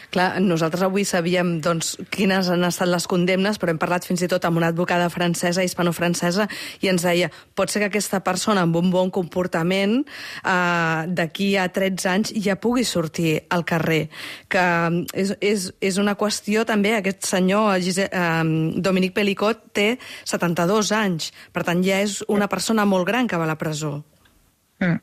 Speaker 1: Clar, nosaltres avui sabíem doncs, quines han estat les condemnes, però hem parlat fins i tot amb una advocada francesa, hispano-francesa, i ens deia, pot ser que aquesta persona amb un bon comportament eh, d'aquí a tretze anys ja pugui sortir al carrer. Que és, és, és una qüestió també, aquest senyor Gise, eh, Dominique Pelicot té setanta-dos anys, per tant ja és una persona molt gran que va a la presó.
Speaker 12: Mm.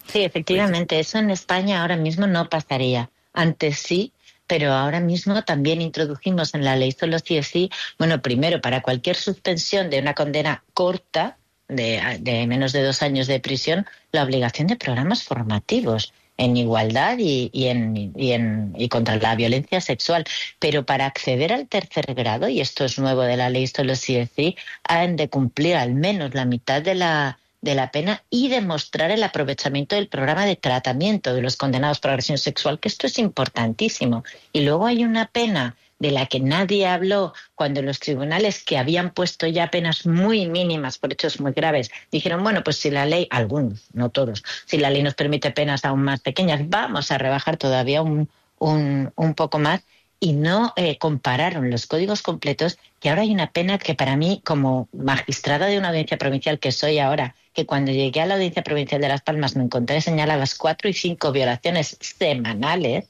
Speaker 12: Sí, efectivamente, eso en España ahora mismo no pasaría. Antes sí, pero ahora mismo también introdujimos en la ley solo sí es sí, bueno, primero, para cualquier suspensión de una condena corta, de, de menos de dos años de prisión, la obligación de programas formativos en igualdad y, y, en, y, en, y contra la violencia sexual. Pero para acceder al tercer grado, y esto es nuevo de la ley solo sí es sí, han de cumplir al menos la mitad de la de la pena y demostrar el aprovechamiento del programa de tratamiento de los condenados por agresión sexual, que esto es importantísimo. Y luego hay una pena de la que nadie habló cuando los tribunales, que habían puesto ya penas muy mínimas por hechos muy graves, dijeron, bueno, pues si la ley, algunos, no todos, si la ley nos permite penas aún más pequeñas, vamos a rebajar todavía un, un, un poco más. Y no eh, compararon los códigos completos, que ahora hay una pena que para mí, como magistrada de una audiencia provincial que soy ahora, que cuando llegué a la audiencia provincial de Las Palmas me encontré señaladas cuatro y cinco violaciones semanales,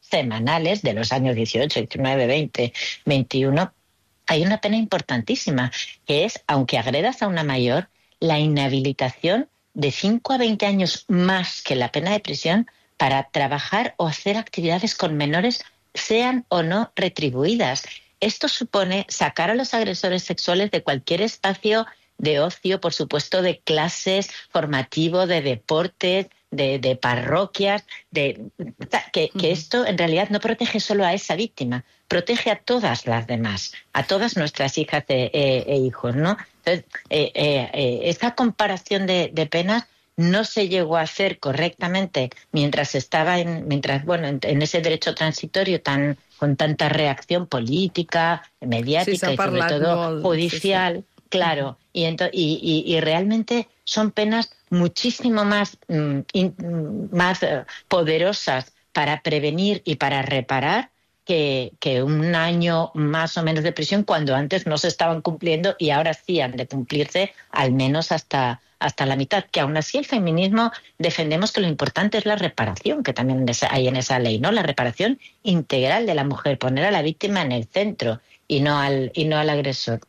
Speaker 12: semanales de los años dieciocho, diecinueve, veinte, veintiuno, hay una pena importantísima, que es, aunque agredas a una mayor, la inhabilitación de cinco a veinte años más que la pena de prisión para trabajar o hacer actividades con menores, sean o no retribuidas. Esto supone sacar a los agresores sexuales de cualquier espacio de ocio, por supuesto, de clases, formativo, de deportes, de, de parroquias, de que, que esto en realidad no protege solo a esa víctima, protege a todas las demás, a todas nuestras hijas e, e, e hijos, ¿no? Entonces, eh, eh, eh, esa comparación de, de penas no se llegó a hacer correctamente mientras estaba en, mientras, bueno, en, en ese derecho transitorio tan con tanta reacción política, mediática sí, y sobre todo molt, judicial, sí, sí. Claro, y, ento, y, y, y realmente son penas muchísimo más, mm, in, más uh, poderosas para prevenir y para reparar que, que un año más o menos de prisión, cuando antes no se estaban cumpliendo y ahora sí han de cumplirse al menos hasta hasta la mitad, que aún así el feminismo defendemos que lo importante es la reparación, que también hay en esa ley, ¿no? La reparación integral de la mujer, poner a la víctima en el centro y no al, y no al agresor.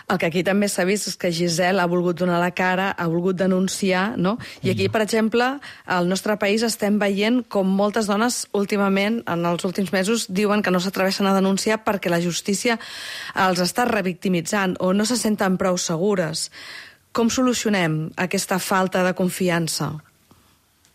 Speaker 1: El que aquí també s'ha vist és que Giselle ha volgut donar la cara, ha volgut denunciar, no? I aquí, per exemple, al nostre país estem veient com moltes dones últimament, en els últims mesos, diuen que no s'atreveixen a denunciar perquè la justícia els està revictimitzant o no se senten prou segures. Com solucionem aquesta falta de confiança?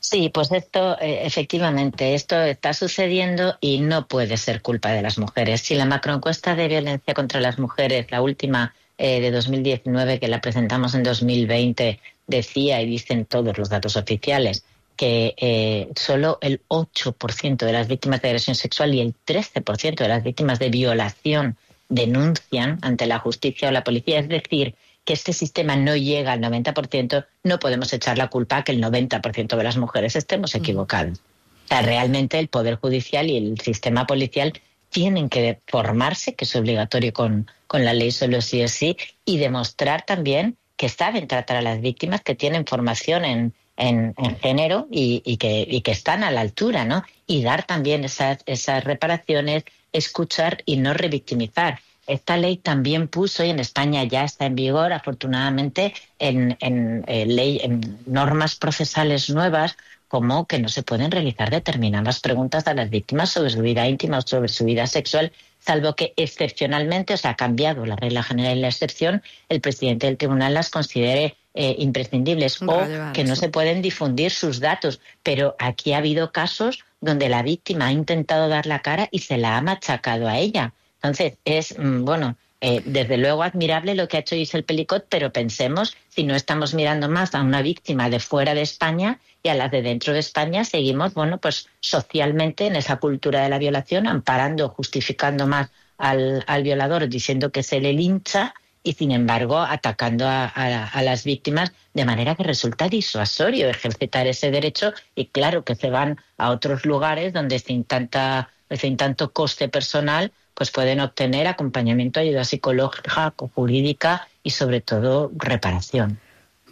Speaker 12: Sí, pues esto, eh, efectivamente, esto está sucediendo y no puede ser culpa de las mujeres. Si la macroencuesta de violencia contra las mujeres, la última eh, de dos mil diecinueve, que la presentamos en dos mil veinte, decía, y dicen todos los datos oficiales, que eh, solo el ocho por ciento de las víctimas de agresión sexual y el trece por ciento de las víctimas de violación denuncian ante la justicia o la policía, es decir, que este sistema no llega al noventa por ciento, no podemos echar la culpa a que el noventa por ciento de las mujeres estemos equivocadas. O sea, realmente el Poder Judicial y el sistema policial tienen que formarse, que es obligatorio con, con la ley solo sí es sí, y demostrar también que saben tratar a las víctimas, que tienen formación en, en, en género y, y, que, y que están a la altura, ¿no? Y dar también esas, esas reparaciones, escuchar y no revictimizar. Esta ley también puso, y en España ya está en vigor, afortunadamente, en, en, en, ley, en normas procesales nuevas, como que no se pueden realizar determinadas preguntas a las víctimas sobre su vida íntima o sobre su vida sexual, salvo que excepcionalmente, o sea, ha cambiado la regla general y la excepción, el presidente del tribunal las considere eh, imprescindibles o que no se pueden difundir sus datos. Pero aquí ha habido casos donde la víctima ha intentado dar la cara y se la ha machacado a ella. Entonces, es, bueno, eh, desde luego admirable lo que ha hecho Giselle Pelicot, pero pensemos si no estamos mirando más a una víctima de fuera de España y a las de dentro de España, seguimos, bueno, pues socialmente en esa cultura de la violación, amparando, justificando más al, al violador, diciendo que se le lincha y, sin embargo, atacando a, a, a las víctimas de manera que resulta disuasorio ejercitar ese derecho y, claro, que se van a otros lugares donde sin, tanta, sin tanto coste personal pues pueden obtener acompanyament, ayuda psicològica, jurídica i, sobretot, reparació.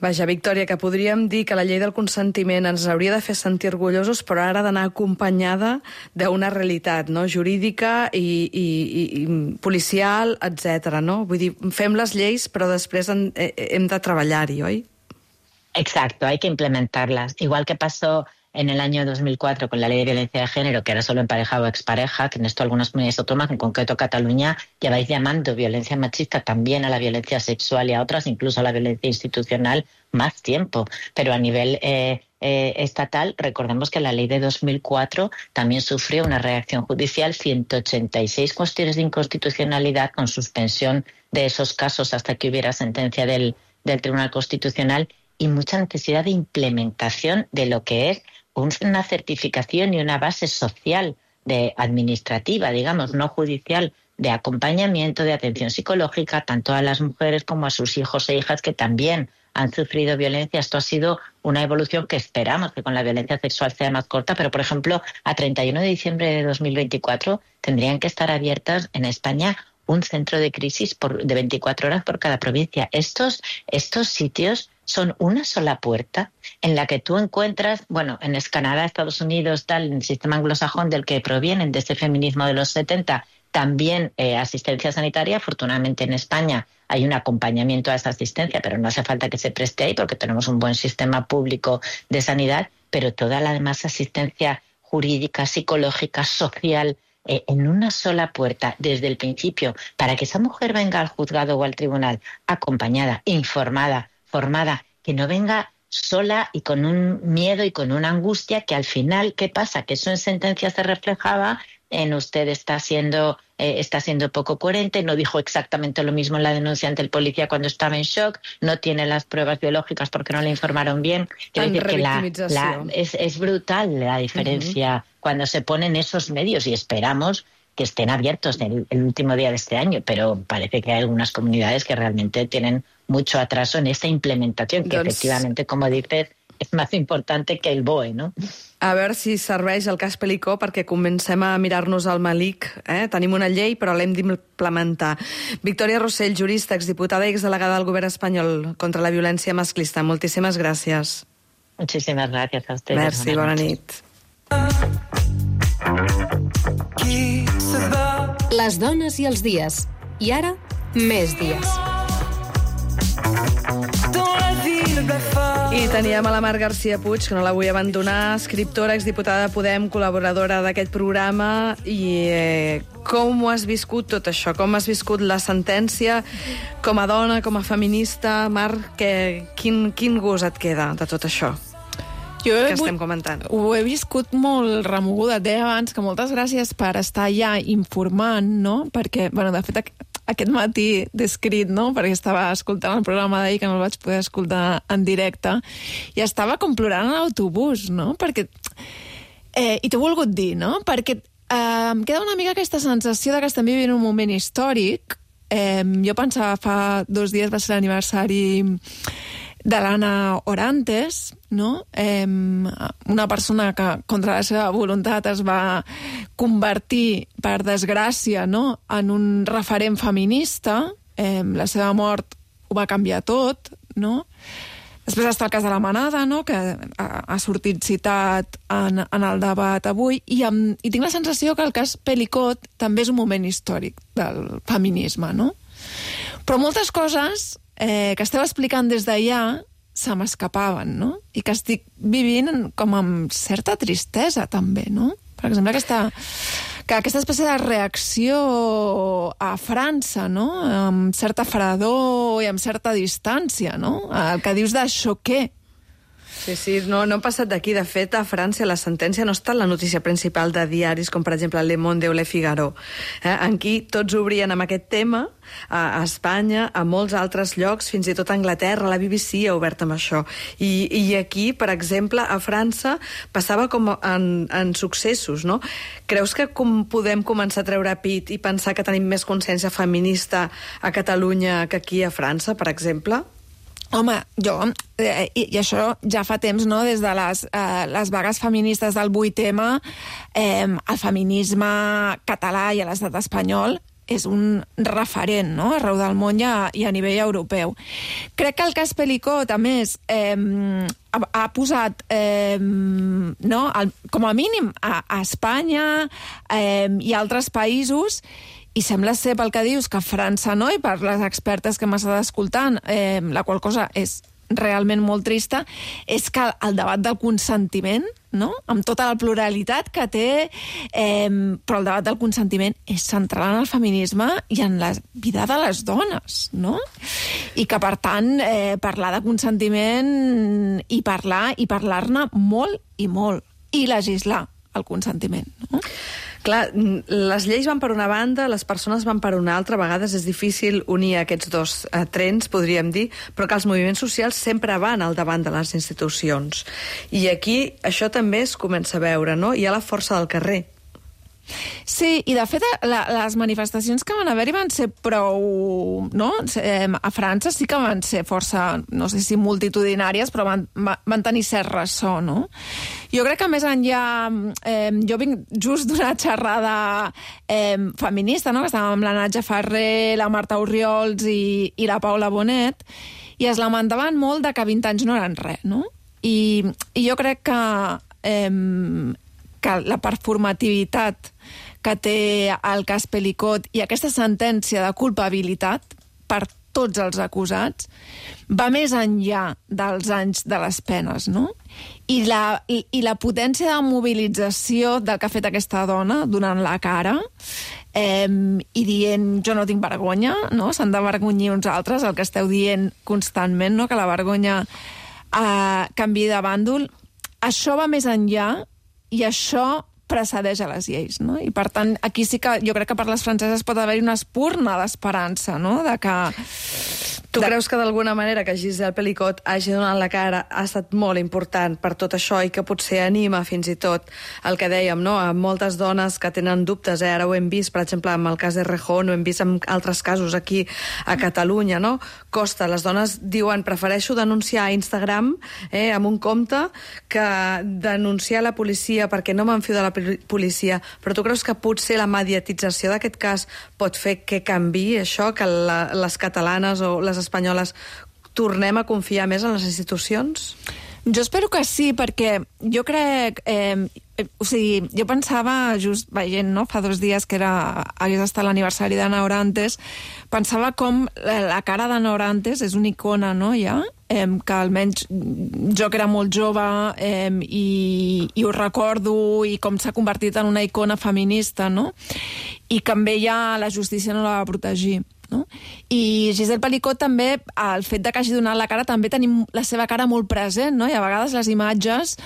Speaker 1: Vaja, Victòria, que podríem dir que la llei del consentiment ens hauria de fer sentir orgullosos, però ara ha d'anar acompanyada d'una realitat, no?, jurídica i, i, i policial, etcètera, no? Vull dir, fem les lleis, però després en, eh, hem de treballar-hi, oi?
Speaker 12: Exacto, hay que implementarlas. Igual que pasó en el año dos mil cuatro con la ley de violencia de género, que era solo en pareja o expareja, que en esto algunas comunidades autónomas, en concreto Cataluña, lleváis llamando violencia machista también a la violencia sexual y a otras, incluso a la violencia institucional, más tiempo. Pero a nivel eh, eh, estatal, recordemos que la ley de dos mil cuatro también sufrió una reacción judicial, ciento ochenta y seis cuestiones de inconstitucionalidad con suspensión de esos casos hasta que hubiera sentencia del, del Tribunal Constitucional y mucha necesidad de implementación de lo que es una certificación y una base social, de administrativa, digamos, no judicial, de acompañamiento, de atención psicológica, tanto a las mujeres como a sus hijos e hijas que también han sufrido violencia. Esto ha sido una evolución que esperamos que con la violencia sexual sea más corta, pero, por ejemplo, a treinta y uno de diciembre de dos mil veinticuatro tendrían que estar abiertas en España un centro de crisis por, de veinticuatro horas por cada provincia. Estos, estos sitios son una sola puerta en la que tú encuentras, bueno, en Canadá, Estados Unidos, tal, en el sistema anglosajón del que provienen de ese feminismo de los setenta, también eh, asistencia sanitaria. Afortunadamente en España hay un acompañamiento a esa asistencia, pero no hace falta que se preste ahí porque tenemos un buen sistema público de sanidad, pero toda la demás asistencia jurídica, psicológica, social, eh, en una sola puerta desde el principio, para que esa mujer venga al juzgado o al tribunal acompañada, informada, formada, que no venga sola y con un miedo y con una angustia que al final, ¿qué pasa? Que eso en sentencia se reflejaba en usted está siendo, eh, está siendo poco coherente, no dijo exactamente lo mismo en la denuncia ante el policía cuando estaba en shock, no tiene las pruebas biológicas porque no le informaron bien. Quiero decir que la, la, es, es brutal la diferencia uh-huh. cuando se ponen esos medios, y esperamos que estén abiertos el, el último día de este año, pero parece que hay algunas comunidades que realmente tienen mucho atraso en esta implementación, que doncs... efectivamente, como dices, és més important que el B O E, no?
Speaker 1: A veure si serveix el cas Pelicot perquè comencem a mirar-nos al malic. Eh? Tenim una llei, però l'hem d'implementar. Victòria Rossell, jurista, exdiputada i exdelegada del govern espanyol contra la violència masclista. Moltíssimes gràcies.
Speaker 12: Muchísimas gracias a ustedes.
Speaker 1: Merci, bona nit.
Speaker 4: Les dones i els dies. I ara, més dies.
Speaker 1: I teníem a la Mar García Puig, que no la vull abandonar, escriptora, exdiputada de Podem, col·laboradora d'aquest programa. I eh, com ho has viscut tot això? Com has viscut la sentència com a dona, com a feminista? Mar, que, quin, quin gust et queda de tot això?
Speaker 10: Jo
Speaker 1: que estem comentant.
Speaker 10: Ho he viscut molt remoguda. Et deia abans que moltes gràcies per estar ja informant, no? Perquè, bueno, de fet, aquest matí d'escrit, no? Perquè estava escoltant el programa d'ahir, que no el vaig poder escoltar en directe, i estava com plorant a l'autobús, no? Perquè... Eh, I t'ho he volgut dir, no? Perquè eh, em queda una mica aquesta sensació de que estem vivint un moment històric. Eh, jo pensava fa dos dies va ser l'aniversari de l'Anna Orantes, no? Eh, una persona que contra la seva voluntat es va convertir, per desgràcia, no? En un referent feminista. Eh, la seva mort ho va canviar tot, no? Després està el cas de la Manada, no? Que ha, ha sortit citat en, en el debat avui, i, amb, i tinc la sensació que el cas Pelicot també és un moment històric del feminisme, no? Però moltes coses eh, que esteu explicant des d'allà se m'escapaven, no? I que estic vivint com amb certa tristesa, també, no? Per exemple, aquesta, que aquesta espècie de reacció a França, no? Amb certa fredor i amb certa distància, no? El que dius de xoquer.
Speaker 1: Sí, sí, no, no ha passat d'aquí. De fet, a França la sentència no està en la notícia principal de diaris com, per exemple, Le Monde o Le Figaro. Eh? Aquí tots obrien amb aquest tema, a, a Espanya, a molts altres llocs, fins i tot a Anglaterra, la B B C ha obert amb això. I, i aquí, per exemple, a França, passava com en, en successos, no? Creus que com podem començar a treure pit i pensar que tenim més consciència feminista a Catalunya que aquí a França, per exemple?
Speaker 10: Home, jo, eh, i, i això ja fa temps, no?, des de les, eh, les vagues feministes del vuit eme, eh, el feminisme català i a l'estat espanyol és un referent, no?, arreu del món i a, i a nivell europeu. Crec que el cas Pelicot, a més, eh, ha, ha posat, eh, no, el, com a mínim, a, a Espanya eh, i altres països. I sembla ser, pel que dius, que a França no, i per les expertes que m'has estat escoltant, eh, la qual cosa és realment molt trista, és que el debat del consentiment, no?, amb tota la pluralitat que té, eh, però el debat del consentiment és central en el feminisme i en la vida de les dones, no? I que, per tant, eh, parlar de consentiment i parlar i parlar-ne molt i molt, i legislar el consentiment, no?
Speaker 1: Clar, les lleis van per una banda, les persones van per una altra. A vegades és difícil unir aquests dos eh, trens, podríem dir, però que els moviments socials sempre van al davant de les institucions. I aquí això també es comença a veure, no? Hi ha la força del carrer.
Speaker 10: Sí, i de fet la, les manifestacions que van haver-hi van ser prou... no? A França sí que van ser força, no sé si multitudinàries, però van, van tenir cert ressò, no? Jo crec que més enllà... Eh, jo vinc just d'una xerrada eh, feminista, no?, que estàvem amb la Natja Ferrer, la Marta Orriols i, i la Paula Bonet, i es lamentaven molt de que vint anys no eren res, no? I, i jo crec que... Eh, que la performativitat que té el cas Pelicot i aquesta sentència de culpabilitat per tots els acusats va més enllà dels anys de les penes, no? I la, i, i la potència de mobilització del que ha fet aquesta dona donant la cara eh, i dient jo no tinc vergonya, no? S'han d'avergonyir uns altres, el que esteu dient constantment, no?, que la vergonya eh, canviï de bàndol. Això va més enllà i això precedeix a les lleis, no? I, per tant, aquí sí que jo crec que per les franceses pot haver-hi una espurna d'esperança, no?, de que...
Speaker 1: Tu de... creus que d'alguna manera que Gisèle Pelicot hagi donat la cara ha estat molt important per tot això i que potser anima fins i tot el que dèiem, no?, a moltes dones que tenen dubtes, eh? Ara ho hem vist, per exemple, amb el cas de Rejón, ho hem vist en altres casos aquí a Catalunya, no? Costa, les dones diuen prefereixo denunciar a Instagram, eh, amb un compte, que denunciar a la policia perquè no m'enfio de la policia. Però tu creus que potser la mediatització d'aquest cas pot fer que canvi això, que la, les catalanes o les espanyoles tornem a confiar més en les institucions?
Speaker 10: Jo espero que sí, perquè jo crec... Eh, o sigui, jo pensava, just veient, no?, fa dos dies que era, hagués estat l'aniversari d'Ana Orantes, pensava com la, la cara d'Ana Orantes és una icona, no?, ja, eh, que almenys jo que era molt jove eh, i, i ho recordo, i com s'ha convertit en una icona feminista, no?, i que amb ella la justícia no la va protegir. no? I Gisèle Pelicot també, el fet de que hagi donat la cara, també tenim la seva cara molt present, no? I a vegades les imatges,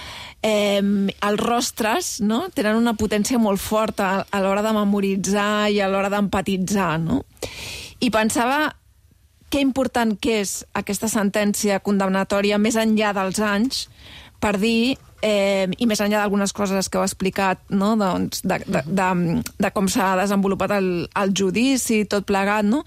Speaker 10: eh, els rostres, no? Tenen una potència molt forta a l'hora de memoritzar i a l'hora d'empatitzar, no? I pensava que important que és aquesta sentència condemnatòria més enllà dels anys, per dir, eh, i més enllà d'algunes coses que heu explicat, no? doncs, de, de, de, de com s'ha desenvolupat el, el judici, tot plegat, no?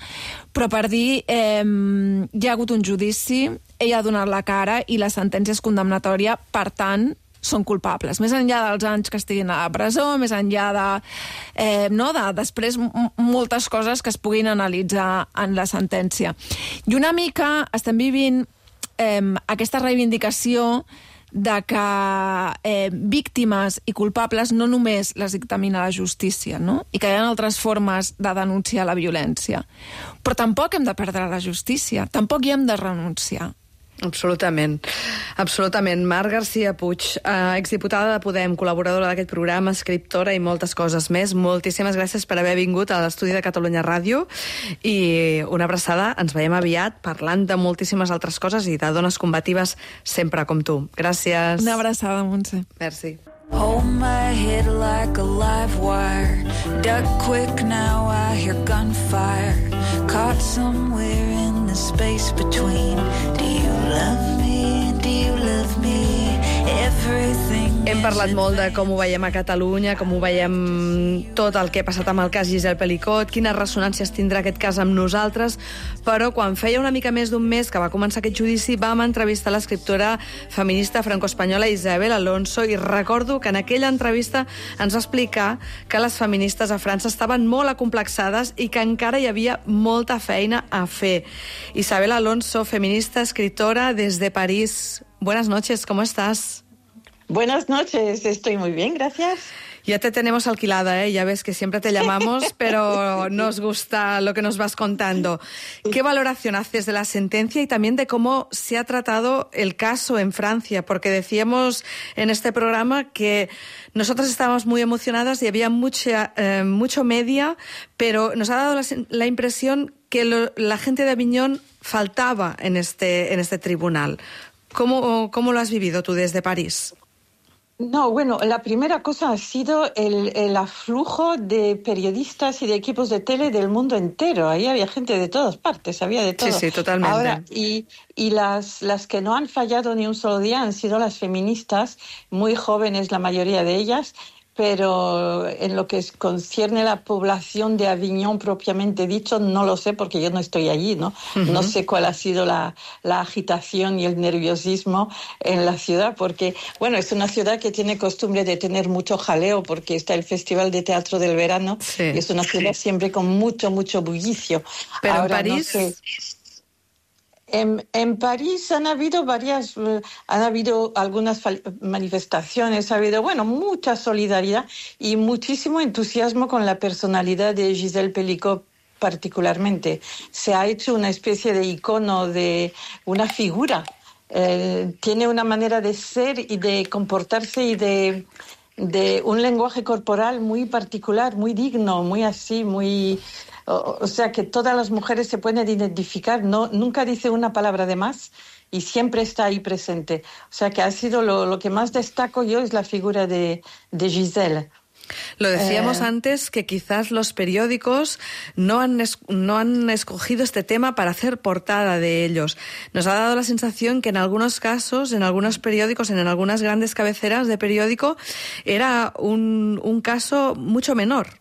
Speaker 10: Però per dir, eh, hi ha hagut un judici, ella ha donat la cara i la sentència és condemnatòria, per tant, són culpables. Més enllà dels anys que estiguin a la presó, més enllà de... Eh, no, de després moltes coses que es puguin analitzar en la sentència. I una mica estem vivint eh, aquesta reivindicació de que eh, víctimes i culpables no només les dictamina la justícia, no? I que hi ha altres formes de denunciar la violència. Però tampoc hem de perdre la justícia, tampoc hi hem de renunciar.
Speaker 1: Absolutament. Absolutament. Mar Garcia Puig, eh, exdiputada de Podem, col·laboradora d'aquest programa, escriptora i moltes coses més. Moltíssimes gràcies per haver vingut a l'estudi de Catalunya Ràdio i una abraçada. Ens veiem aviat parlant de moltíssimes altres coses i de dones combatives sempre com tu. Gràcies.
Speaker 10: Una abraçada, Montse.
Speaker 1: Merci.
Speaker 13: Hold my head like a live wire. Duck quick now, I hear gunfire. Caught somewhere in the space between. Do you love me? Do you love me? Everything.
Speaker 1: Hem parlat molt de com ho veiem a Catalunya, com ho veiem tot el que ha passat amb el cas Gisèle Pelicot, quines ressonàncies tindrà aquest cas amb nosaltres, però quan feia una mica més d'un mes que va començar aquest judici vam entrevistar l'escriptora feminista franco-espanyola Isabel Alonso i recordo que en aquella entrevista ens va explicar que les feministes a França estaven molt acomplexades i que encara hi havia molta feina a fer. Isabel Alonso, feminista, escritora desde París. Buenas noches, ¿cómo estás?
Speaker 14: Buenas noches, estoy muy bien, gracias.
Speaker 1: Ya te tenemos alquilada, ¿eh? Ya ves que siempre te llamamos, pero nos gusta lo que nos vas contando. ¿Qué valoración haces de la sentencia y también de cómo se ha tratado el caso en Francia? Porque decíamos en este programa que nosotras estábamos muy emocionadas y había mucha, eh, mucho media, pero nos ha dado la, la impresión que lo, la gente de Aviñón faltaba en este, en este tribunal. ¿Cómo, cómo lo has vivido tú desde París?
Speaker 14: No, bueno, la primera cosa ha sido el, el aflujo de periodistas y de equipos de tele del mundo entero. Ahí había gente de todas partes, había de todo.
Speaker 1: Sí, sí, totalmente.
Speaker 14: Ahora, y y las, las que no han fallado ni un solo día han sido las feministas, muy jóvenes la mayoría de ellas, pero en lo que concierne a la población de Aviñón propiamente dicho, no lo sé porque yo no estoy allí, ¿no? Uh-huh. No sé cuál ha sido la, la agitación y el nerviosismo en la ciudad, porque, bueno, es una ciudad que tiene costumbre de tener mucho jaleo porque está el Festival de Teatro del Verano, sí. Y es una ciudad siempre con mucho, mucho bullicio.
Speaker 1: Pero ahora, en París...
Speaker 14: No sé, En, en París han habido varias, uh, han habido algunas manifestaciones, ha habido, bueno, mucha solidaridad y muchísimo entusiasmo con la personalidad de Gisèle Pelicot particularmente. Se ha hecho una especie de icono, de una figura. Eh, tiene una manera de ser y de comportarse y de, de un lenguaje corporal muy particular, muy digno, muy así, muy... O, o sea que todas las mujeres se pueden identificar, no, nunca dice una palabra de más y siempre está ahí presente. O sea que ha sido lo, lo que más destaco yo es la figura de, de Gisèle.
Speaker 1: Lo decíamos
Speaker 14: eh...
Speaker 1: antes que quizás los periódicos no han, es, no han escogido este tema para hacer portada de ellos. Nos ha dado la sensación que en algunos casos, en algunos periódicos, en algunas grandes cabeceras de periódico, era un, un caso mucho menor.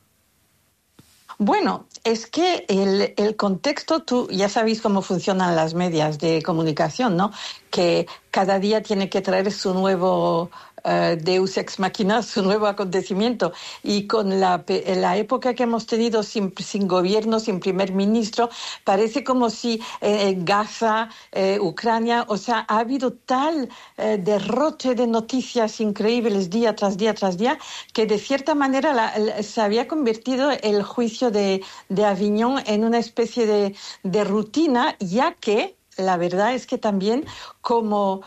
Speaker 14: Bueno, es que el, el contexto, tú ya sabéis cómo funcionan las medias de comunicación, ¿no? Que cada día tiene que traer su nuevo uh, Deus ex machina, su nuevo acontecimiento. Y con la, la época que hemos tenido sin, sin gobierno, sin primer ministro, parece como si eh, Gaza, eh, Ucrania, o sea, ha habido tal eh, derroche de noticias increíbles día tras día tras día, que de cierta manera la, la, se había convertido el juicio de, de Aviñón en una especie de, de rutina, ya que la verdad es que también como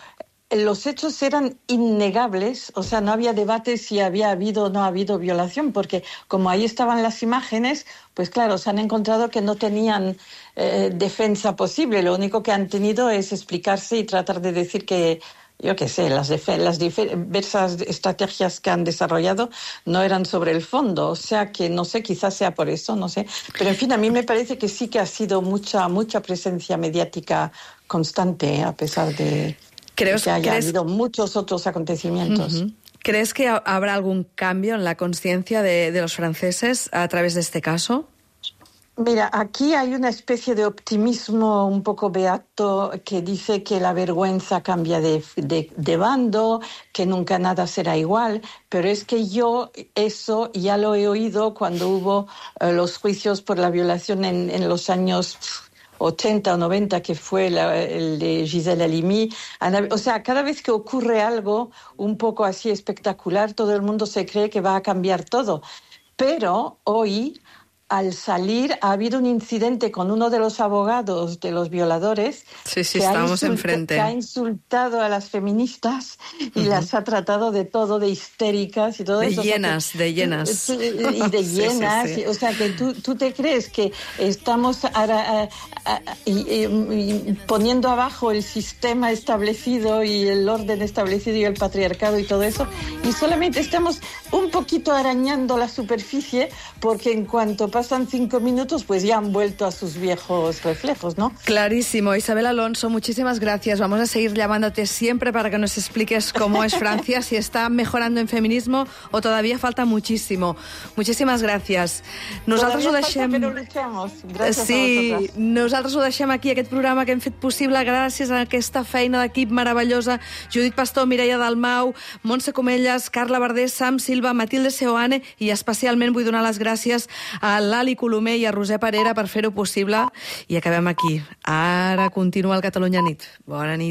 Speaker 14: los hechos eran innegables, o sea, no había debate si había habido o no ha habido violación, porque como ahí estaban las imágenes, pues claro, se han encontrado que no tenían eh, defensa posible. Lo único que han tenido es explicarse y tratar de decir que, yo qué sé, las, las diversas estrategias que han desarrollado no eran sobre el fondo. O sea que, no sé, quizás sea por eso, no sé. Pero, en fin, a mí me parece que sí que ha sido mucha, mucha presencia mediática constante, a pesar de... ¿Crees, que haya ¿crees... habido muchos otros acontecimientos?
Speaker 1: Uh-huh. ¿Crees que habrá algún cambio en la conciencia de, de los franceses a través de este caso?
Speaker 14: Mira, aquí hay una especie de optimismo un poco beato que dice que la vergüenza cambia de, de, de bando, que nunca nada será igual, pero es que yo eso ya lo he oído cuando hubo uh, los juicios por la violación en, en los años ochenta o noventa, que fue la, el de Gisèle Halimi. O sea, cada vez que ocurre algo un poco así espectacular, todo el mundo se cree que va a cambiar todo. Pero hoy, al salir, ha habido un incidente con uno de los abogados de los violadores
Speaker 1: sí, sí,
Speaker 14: que,
Speaker 1: estamos
Speaker 14: ha
Speaker 1: enfrente.
Speaker 14: que ha insultado a las feministas y uh-huh. las ha tratado de todo, de histéricas y todo
Speaker 1: de
Speaker 14: eso.
Speaker 1: Llenas,
Speaker 14: o sea que,
Speaker 1: de llenas.
Speaker 14: Y de llenas. Sí, sí, sí. O sea, que tú, tú te crees que estamos a, a, a, a, y, y, y poniendo abajo el sistema establecido y el orden establecido y el patriarcado y todo eso, y solamente estamos un poquito arañando la superficie, porque en cuanto pasan cinco minutos, pues ya han vuelto a sus viejos reflejos, ¿no?
Speaker 1: Clarísimo. Isabel Alonso, muchísimas gracias. Vamos a seguir llamándote siempre para que nos expliques cómo es Francia, si está mejorando en feminismo o todavía falta muchísimo. Muchísimas gracias. Nosaltres
Speaker 14: todavía
Speaker 1: ho deixem...
Speaker 14: falta, però luchamos. Gràcies
Speaker 1: sí,
Speaker 14: a vosaltres.
Speaker 1: Nosaltres ho deixem aquí, aquest programa que hem fet possible gràcies a aquesta feina d'equip meravellosa. Judit Pastor, Mireia Dalmau, Montse Comelles, Carla Verdés, Sam Silva, Matilde Seoane, i especialment vull donar les gràcies a l'Ali Colomer i a Roser Parera per fer-ho possible. I acabem aquí. Ara continua el Catalunya Nit. Bona nit.